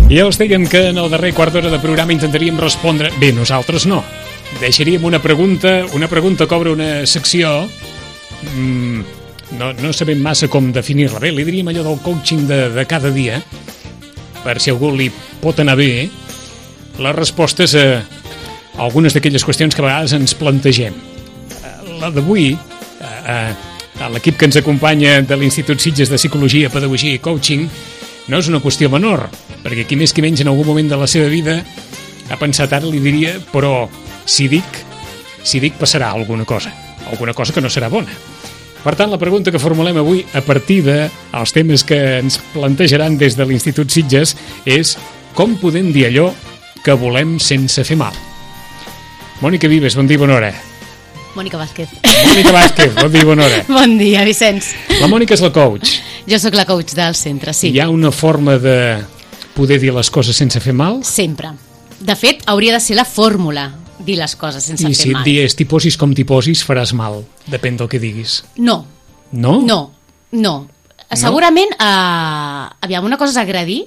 Ja us dèiem que en el darrer quart d'hora de programa intentaríem respondre... Bé, nosaltres no. Deixaríem una pregunta que obre una secció... No sabem massa com definir-la bé. Li diríem allò del coaching de cada dia, per si a algú li pot anar bé, les respostes a algunes d'aquelles qüestions que a vegades ens plantegem. La d'avui, a l'equip que ens acompanya de l'Institut Sitges de Psicologia, Pedagogia i Coaching, no és una qüestió menor, perquè qui més qui menys en algun moment de la seva vida ha pensat, ara li diria, però si dic passarà alguna cosa que no serà bona. Per tant, la pregunta que formulem avui a partir dels temes que ens plantejaran des de l'Institut Sitges és com podem dir allò que volem sense fer mal. Mònica Vives, bon dia, bona hora. Mònica Vázquez, bon dia, bona hora. Bon dia, Vicenç. La Mònica és la coach. Jo sóc la coach del centre, sí. Hi ha una forma de poder dir les coses sense fer mal? Sempre. De fet, hauria de ser la fórmula, dir les coses sense fer mal. I si et dies t'hi posis com t'hi posis, faràs mal. Depèn del que diguis. No. No? No. Segurament, aviam, una cosa és agredir,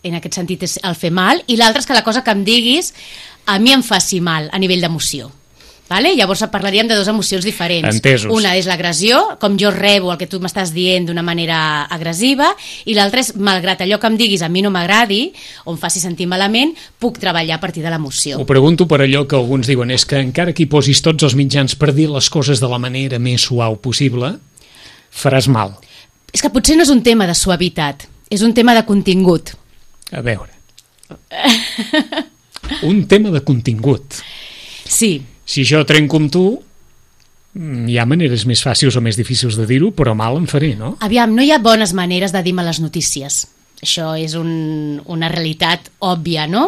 en aquest sentit és el fer mal, i l'altra és que la cosa que em diguis a mi em faci mal a nivell d'emoció. Vale? Llavors parlaríem de dues emocions diferents. Entesos. Una és l'agressió, com jo rebo el que tu m'estàs dient d'una manera agressiva, i l'altra és, malgrat allò que em diguis a mi no m'agradi o em faci sentir malament, puc treballar a partir de l'emoció. Ho pregunto per allò que alguns diuen, és que encara que hi posis tots els mitjans per dir les coses de la manera més suau possible, faràs mal. És que potser no és un tema de suavitat, és un tema de contingut. A veure. Un tema de contingut. Sí. Si jo trenco amb tu, hi ha maneres més fàcils o més difícils de dir-ho, però mal em faré, no? Aviam, no hi ha bones maneres de dir males notícies. Això és una realitat òbvia, no?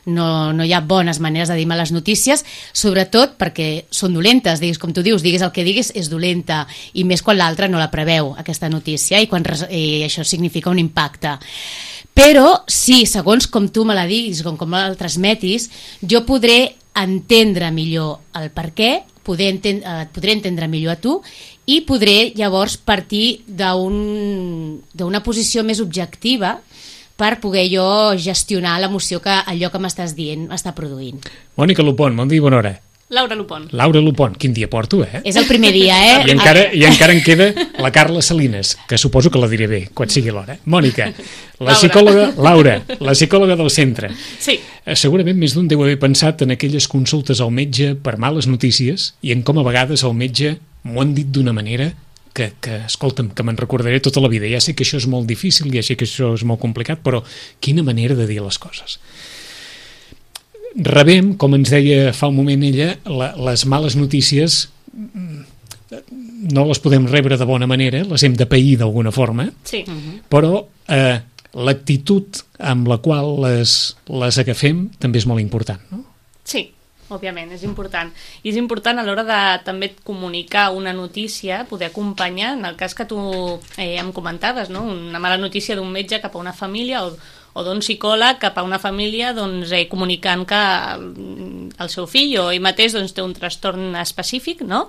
No hi ha bones maneres de dir males notícies, sobretot perquè són dolentes, diguis com tu dius, diguis el que diguis, és dolenta, i més quan l'altre no la preveu, aquesta notícia, i quan això significa un impacte. Però, sí, segons com tu me la diguis, com me la transmetis, jo podré entendre millor el per què, podré entendre millor a tu i podré llavors partir d'una posició més objectiva per poder jo gestionar l'emoció que allò que m'estàs dient m'està produint. Mònica Lupon, bon dia i bona hora. Laura Lupon. Laura Lupon, quin dia porto, eh? És el primer dia, eh? I encara em queda la Carla Salines, que suposo que la diré bé, quan sigui l'hora. Mònica, la psicòloga del centre. Sí. Segurament més d'un deu haver pensat en aquelles consultes al metge per males notícies i en com a vegades el metge m'ho han dit d'una manera que escolta'm, que me'n recordaré tota la vida. Ja sé que això és molt difícil, ja sé que això és molt complicat, però quina manera de dir les coses. Rebem, com ens deia fa un moment ella, les males notícies no les podem rebre de bona manera, les hem de pair d'alguna forma, sí. Però l'actitud amb la qual les agafem també és molt important, no? Sí, òbviament, és important. I és important a l'hora de també comunicar una notícia, poder acompanyar, en el cas que tu em comentaves, no? Una mala notícia d'un metge cap a una família o d'un psicòleg cap a una família comunicant que el seu fill o ell mateix té un trastorn específic, no?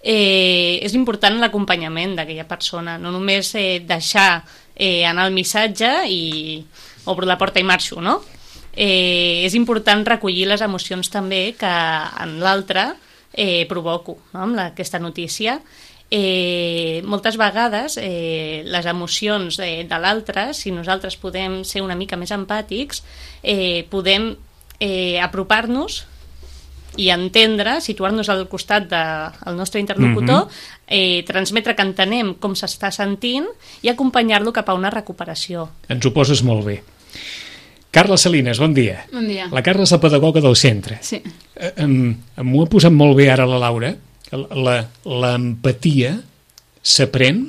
És important l'acompanyament d'aquella persona, no només deixar anar el missatge i obro la porta i marxo, no? És important recollir les emocions també que en l'altre provoco, no? Amb aquesta notícia. Moltes vegades les emocions de l'altre, si nosaltres podem ser una mica més empàtics, podem apropar-nos i entendre, situar-nos al costat del nostre interlocutor, transmetre que entenem com s'està sentint i acompanyar-lo cap a una recuperació. Ens ho poses molt bé. Carla Salines, bon dia. Bon dia. La Carla és la pedagoga del centre. Sí. M'ho ha posat molt bé ara la Laura. L'empatia s'aprèn,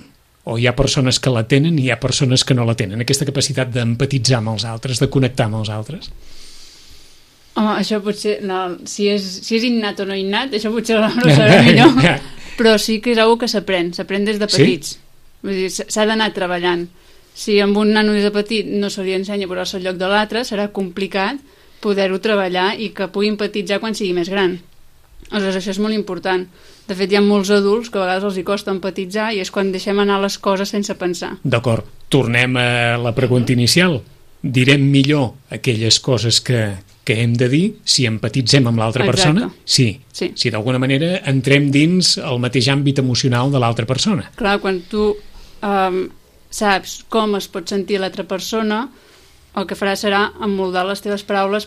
o hi ha persones que la tenen i hi ha persones que no la tenen, aquesta capacitat d'empatitzar amb els altres, de connectar amb els altres? Home, això potser, no, si és innat o no innat, això potser no ho sabem millor, però sí que és una que s'aprèn des de petits. Sí? Vull dir, s'ha d'anar treballant. Si amb un nano des de petit no se li ensenya a posar-se al lloc de l'altre, serà complicat poder-ho treballar i que pugui empatitzar quan sigui més gran. Aleshores, això és molt important. De fet, hi ha molts adults que a vegades els hi costa empatitzar i és quan deixem anar les coses sense pensar. D'acord. Tornem a la pregunta inicial. direm millor aquelles coses que hem de dir si empatitzem amb l'altra persona. Sí. Si d'alguna manera entrem dins el mateix àmbit emocional de l'altra persona. Clar, quan tu saps com es pot sentir l'altra persona, el que farà serà emmoldar les teves paraules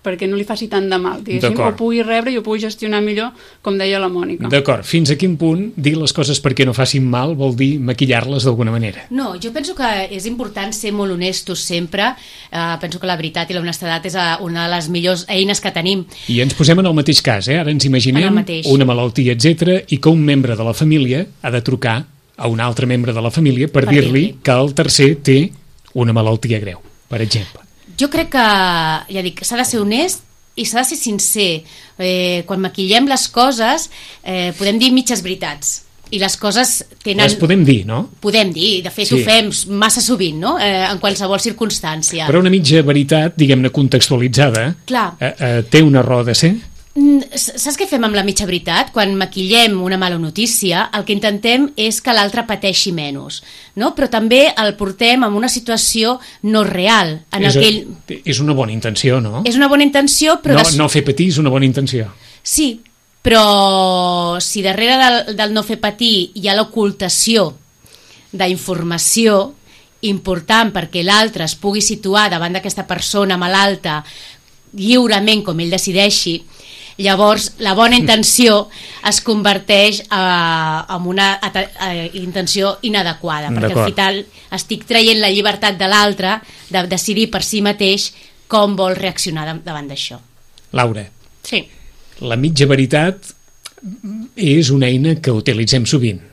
perquè no li faci tant de mal, diguéssim, o pugui rebre i ho pugui gestionar millor, com deia la Mònica. D'acord. Fins a quin punt dir les coses perquè no facin mal vol dir maquillar-les d'alguna manera? No, jo penso que és important ser molt honestos sempre. Penso que la veritat i l'honestedat és una de les millors eines que tenim. I ens posem en el mateix cas, Ara ens imaginem una malaltia, etc, i que un membre de la família ha de trucar a un altre membre de la família per dir-li que el tercer té una malaltia greu, per exemple. Jo crec que, ja dic, s'ha de ser honest i s'ha de ser sincer. Quan maquillem les coses podem dir mitges veritats i les coses tenen... Les podem dir, no? Podem dir, de fet ho fem massa sovint, no? En qualsevol circumstància. Però una mitja veritat, diguem-ne contextualitzada, té una raó de ser? Saps què fem amb la mitja veritat? Quan maquillem una mala notícia, el que intentem és que l'altre pateixi menys, no? Però també el portem en una situació no real. És una bona intenció, no? És una bona intenció, però... No fer patir és una bona intenció. Sí, però si darrere del no fer patir hi ha l'ocultació d'informació important perquè l'altre es pugui situar davant d'aquesta persona malalta lliurement com ell decideixi, llavors la bona intenció es converteix en una intenció inadequada, perquè al final estic traient la llibertat de l'altre de decidir per si mateix com vol reaccionar davant d'això. Laura, sí. La mitja veritat és una eina que utilitzem sovint.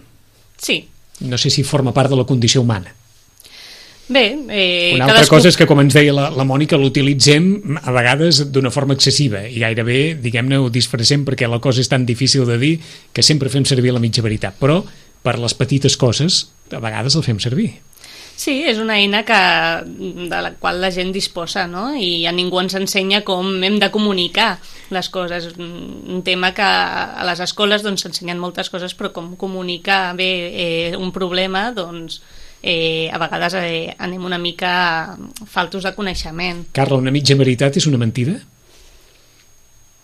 Sí. No sé si forma part de la condició humana. Bé, una altra cosa és que, com ens deia la Mònica, l'utilitzem a vegades d'una forma excessiva i gairebé, diguem-ne, ho disfressem perquè la cosa és tan difícil de dir que sempre fem servir la mitja veritat, però per les petites coses a vegades el fem servir. Sí, és una eina de la qual la gent disposa, no? I a ningú ens ensenya com hem de comunicar les coses. Un tema que a les escoles s'ensenyen moltes coses, però com comunicar bé un problema, doncs a vegades anem una mica faltos de coneixement. Carla, una mitja veritat és una mentida?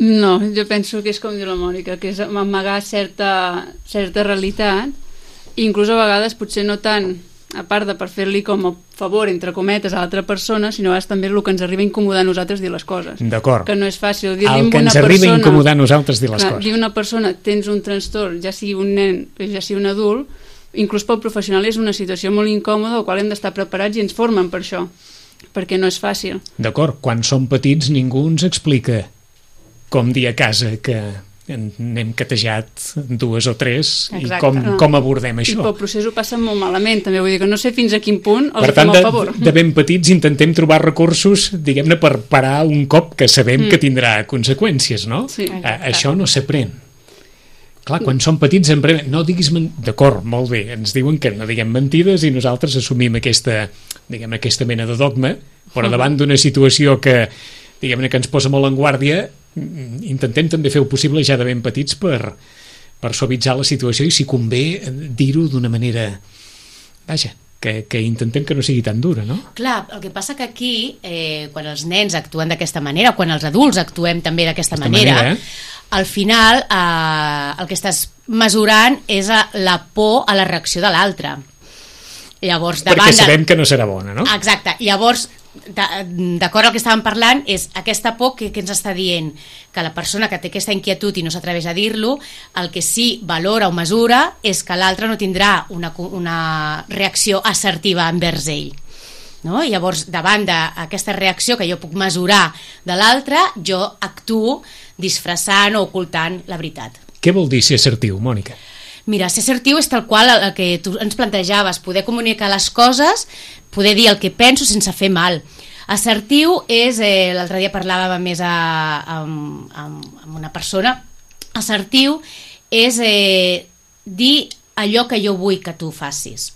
No, jo penso que és com diu la Mònica, que és amagar certa realitat, i inclús a vegades potser no tant a part de per fer-li com a favor, entre cometes, a l'altra persona, sinó és també el que ens arriba a incomodar a nosaltres dir les coses. D'acord. Que no és fàcil dir-li a una persona... El que ens arriba a incomodar a nosaltres dir les coses. Dir a una persona, tens un trastorn, ja sigui un nen, ja sigui un adult, inclús pel professional és una situació molt incòmoda, al qual hem d'estar preparats i ens formen per això, perquè no és fàcil. D'acord, quan som petits ningú ens explica com dir a casa que n'hem catejat 2 o 3 i com abordem això. I pel procés ho passa molt malament, també, vull dir que no sé fins a quin punt els fem el favor. De ben petits intentem trobar recursos, diguem-ne, per parar un cop que sabem que tindrà conseqüències, no? Sí. Això no s'aprèn. Clar, quan som petits no diguis... D'acord, molt bé, ens diuen que no diguem mentides i nosaltres assumim aquesta mena de dogma, però davant d'una situació que, diguem-ne, que ens posa molt en guàrdia, intentem també fer el possible ja de ben petits per suavitzar la situació i, si convé, dir-ho d'una manera... Vaja, que intentem que no sigui tan dura, no? Clar, el que passa que aquí, quan els nens actuen d'aquesta manera, quan els adults actuem també d'aquesta manera, al final el que estàs mesurant és la por a la reacció de l'altre. Llavors, perquè sabem que no serà bona, no? Exacte. Llavors, d'acord al que estàvem parlant, és aquesta por que ens està dient que la persona que té aquesta inquietud i no s'atreveix a dir-lo, el que sí valora o mesura és que l'altre no tindrà una reacció assertiva envers ell. No? Llavors, davant d'aquesta reacció que jo puc mesurar de l'altre, jo actuo disfressant o ocultant la veritat. Què vol dir ser assertiu, Mònica? Mira, ser assertiu és tal qual el que tu ens plantejaves, poder comunicar les coses, poder dir el que penso sense fer mal. Assertiu és, l'altre dia parlàvem més amb una persona, assertiu és dir allò que jo vull que tu facis.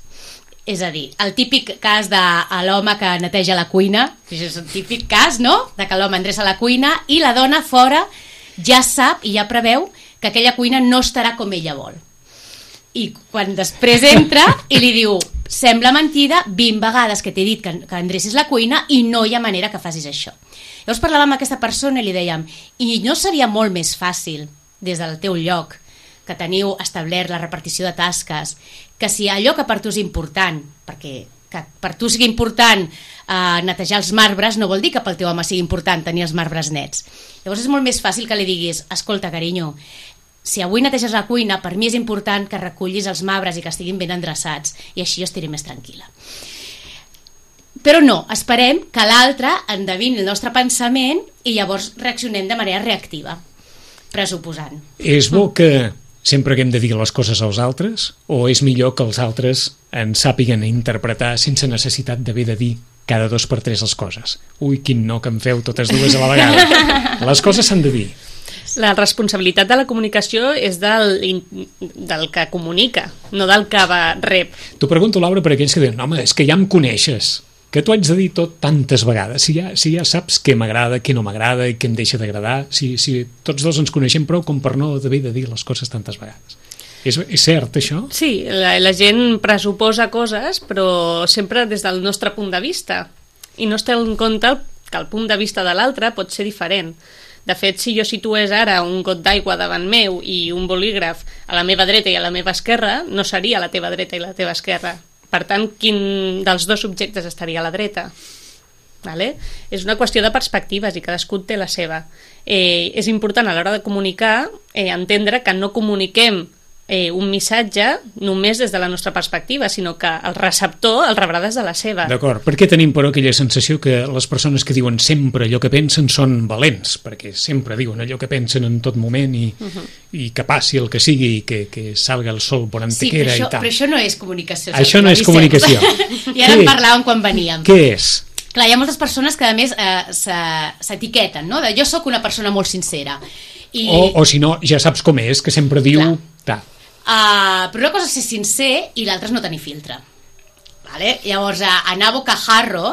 És a dir, el típic cas de l'home que neteja la cuina, que és el típic cas, no?, de que l'home endreça la cuina i la dona fora ja sap i ja preveu que aquella cuina no estarà com ella vol. I quan després entra i li diu, sembla mentida 20 vegades que t'he dit que endrecis la cuina i no hi ha manera que facis això. Llavors parlàvem amb aquesta persona i li dèiem, i no seria molt més fàcil des del teu lloc que teniu establert la repartició de tasques, que si allò que per tu és important, perquè que per tu sigui important netejar els marbres no vol dir que pel teu home sigui important tenir els marbres nets. Llavors és molt més fàcil que li diguis, escolta, carinyo, si avui neteges la cuina, per mi és important que recullis els marbres i que estiguin ben endreçats, i així jo estaré més tranquil·la. Però no, esperem que l'altre endevini el nostre pensament i llavors reaccionem de manera reactiva, pressuposant. És bo que sempre que hem de dir les coses als altres, o és millor que els altres ens sàpiguen interpretar sense necessitat d'haver de dir cada 2 per 3 les coses? Ui, quin no que em feu totes dues a la vegada. Les coses s'han de dir. La responsabilitat de la comunicació és del que comunica, no del que rep. T'ho pregunto, Laura, per aquells que diuen, home, és que ja em coneixes, que t'ho haig de dir tot tantes vegades, si ja saps què m'agrada, què no m'agrada i què em deixa d'agradar, si tots dos ens coneixem prou com per no haver de dir les coses tantes vegades. És cert, això? Sí, la gent pressuposa coses, però sempre des del nostre punt de vista, i no es té en compte que el punt de vista de l'altre pot ser diferent. De fet, si jo situés ara un got d'aigua davant meu i un bolígraf a la meva dreta i a la meva esquerra, no seria a la teva dreta i la teva esquerra. Per tant, quin dels dos objectes estaria a la dreta? Vale? És una qüestió de perspectives i cadascú té la seva. És important a l'hora de comunicar entendre que no comuniquem un missatge només des de la nostra perspectiva, sinó que el receptor el rebrà des de la seva. D'acord. Per què tenim, però, aquella sensació que les persones que diuen sempre allò que pensen són valents? Perquè sempre diuen allò que pensen en tot moment i que passi el que sigui i que salga el sol por antequera i tal. Però això no és comunicació. Això no és comunicació. I ara en parlàvem quan veníem. Què és? Clar, hi ha moltes persones que a més s'etiqueten, no? Jo sóc una persona molt sincera. O si no, ja saps com és, que sempre diu... Però una cosa és ser sincer i l'altra és no tenir filtre. Vale? Llavors, anar a bocajarro,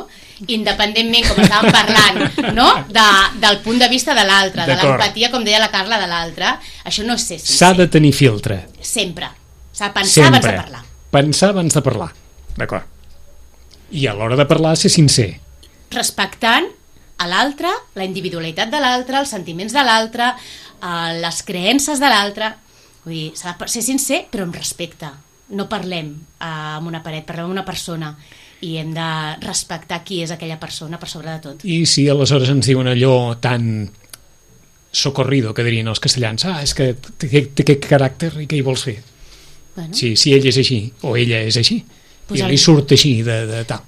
independentment, com estàvem parlant, no? Del punt de vista de l'altre, de l'empatia, com deia la Carla, de l'altre, això no és ser sincer. S'ha de tenir filtre. Sempre. S'ha de pensar abans de parlar. Pensar abans de parlar. D'acord. I a l'hora de parlar, ser sincer. Respectant a l'altre, la individualitat de l'altre, els sentiments de l'altre, les creences de l'altre. Vull dir, s'ha de ser sincer, però amb respecte. No parlem amb una paret, parlem amb una persona i hem de respectar qui és aquella persona per sobre de tot. I si aleshores ens diuen allò tan socorrido, que dirien els castellans, és que té aquest caràcter i què hi vols fer? Bueno. Si ell és així, o ella és així, pues i li surt així de tal.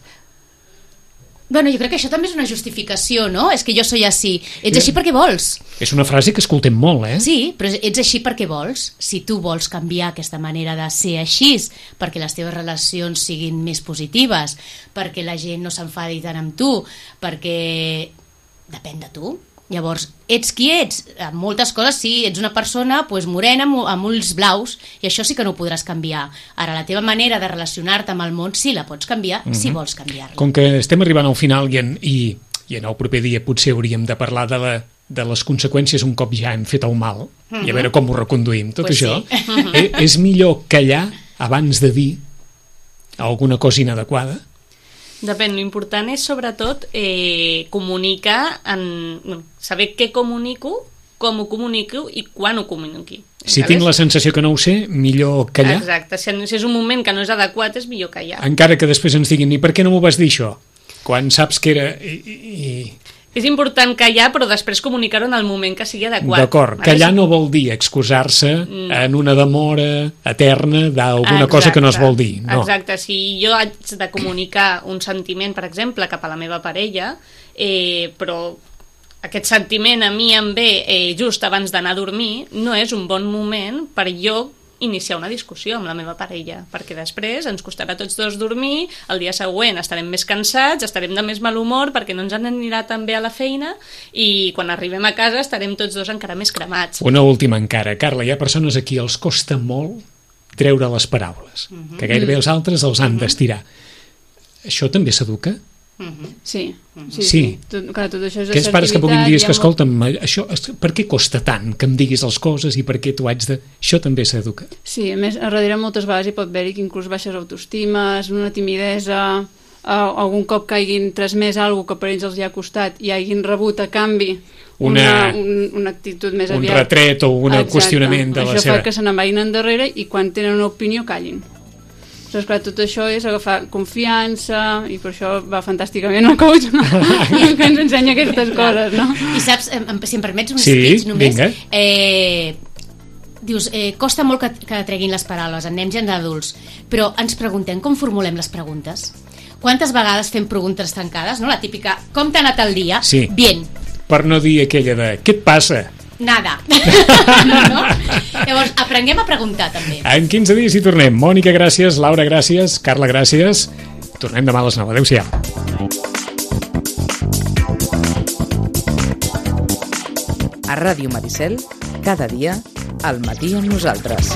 Bueno, jo crec que això també és una justificació, no? És que jo soy així. Ets així perquè vols. És una frase que escoltem molt, Sí, però ets així perquè vols. Si tu vols canviar aquesta manera de ser així, perquè les teves relacions siguin més positives, perquè la gent no s'enfadi tant amb tu, perquè depèn de tu. Llavors, ets qui ets? En moltes coses sí, ets una persona morena amb ulls blaus i això sí que no ho podràs canviar. Ara, la teva manera de relacionar-te amb el món sí la pots canviar, si vols canviar-la. Com que estem arribant al final i en el proper dia potser hauríem de parlar de les conseqüències un cop ja hem fet el mal i a veure com ho reconduïm, tot això. Sí. És millor callar abans de dir alguna cosa inadequada? Depèn, l'important és sobretot comunicar, saber què comunico, com ho comunico i quan ho comuniqui. Si tinc la sensació que no ho sé, millor callar. Exacte, si és un moment que no és adequat és millor callar. Encara que després ens diguin, i per què no m'ho vas dir això? Quan saps que era... És important callar, però després comunicar-ho en el moment que sigui adequat. D'acord, callar no vol dir excusar-se en una demora eterna d'alguna cosa que no es vol dir. No. Exacte, si jo haig de comunicar un sentiment, per exemple, cap a la meva parella, però aquest sentiment a mi em ve just abans d'anar a dormir, no és un bon moment per jo iniciar una discussió amb la meva parella, perquè després ens costarà tots dos dormir, el dia següent estarem més cansats, estarem de més mal humor perquè no ens anirà tan bé a la feina i quan arribem a casa estarem tots dos encara més cremats. Una última encara. Carla, hi ha persones a qui els costa molt treure les paraules, que gairebé els altres els han d'estirar. Això també s'educa? Sí. Clar, tot això és aquells pares que puguin dir que, escolta'm, això, per què costa tant que em diguis les coses i per què tu haig de... Això també s'educa. Sí, a més, a darrere moltes vegades hi pot haver-hi que inclús baixes autoestimes, una timidesa, algun cop que hagin transmès alguna que per ells els hi ha costat i hagin rebut a canvi una actitud més aviat... Un retret o un qüestionament de la seva... Això fa que se n'envaïn endarrere i quan tenen una opinió callin. Doncs clar, tot això és agafar confiança i per això va fantàsticament el coach, no? Que ens ensenya aquestes coses, no? I saps, si em permets un speech només, dius, costa molt que treguin les paraules en nens i en adults, però ens preguntem com formulem les preguntes. Quantes vegades fem preguntes tancades, no? La típica, com t'ha anat el dia? Sí. Bien. Per no dir aquella de, què et passa? Nada. No? Llavors, aprenguem a preguntar també. En 15 dies hi tornem. Mònica, gràcies. Laura, gràcies. Carla, gràcies. Tornem demà a les 9. Adéu-siau. A Ràdio Maricel, cada dia, al matí amb nosaltres.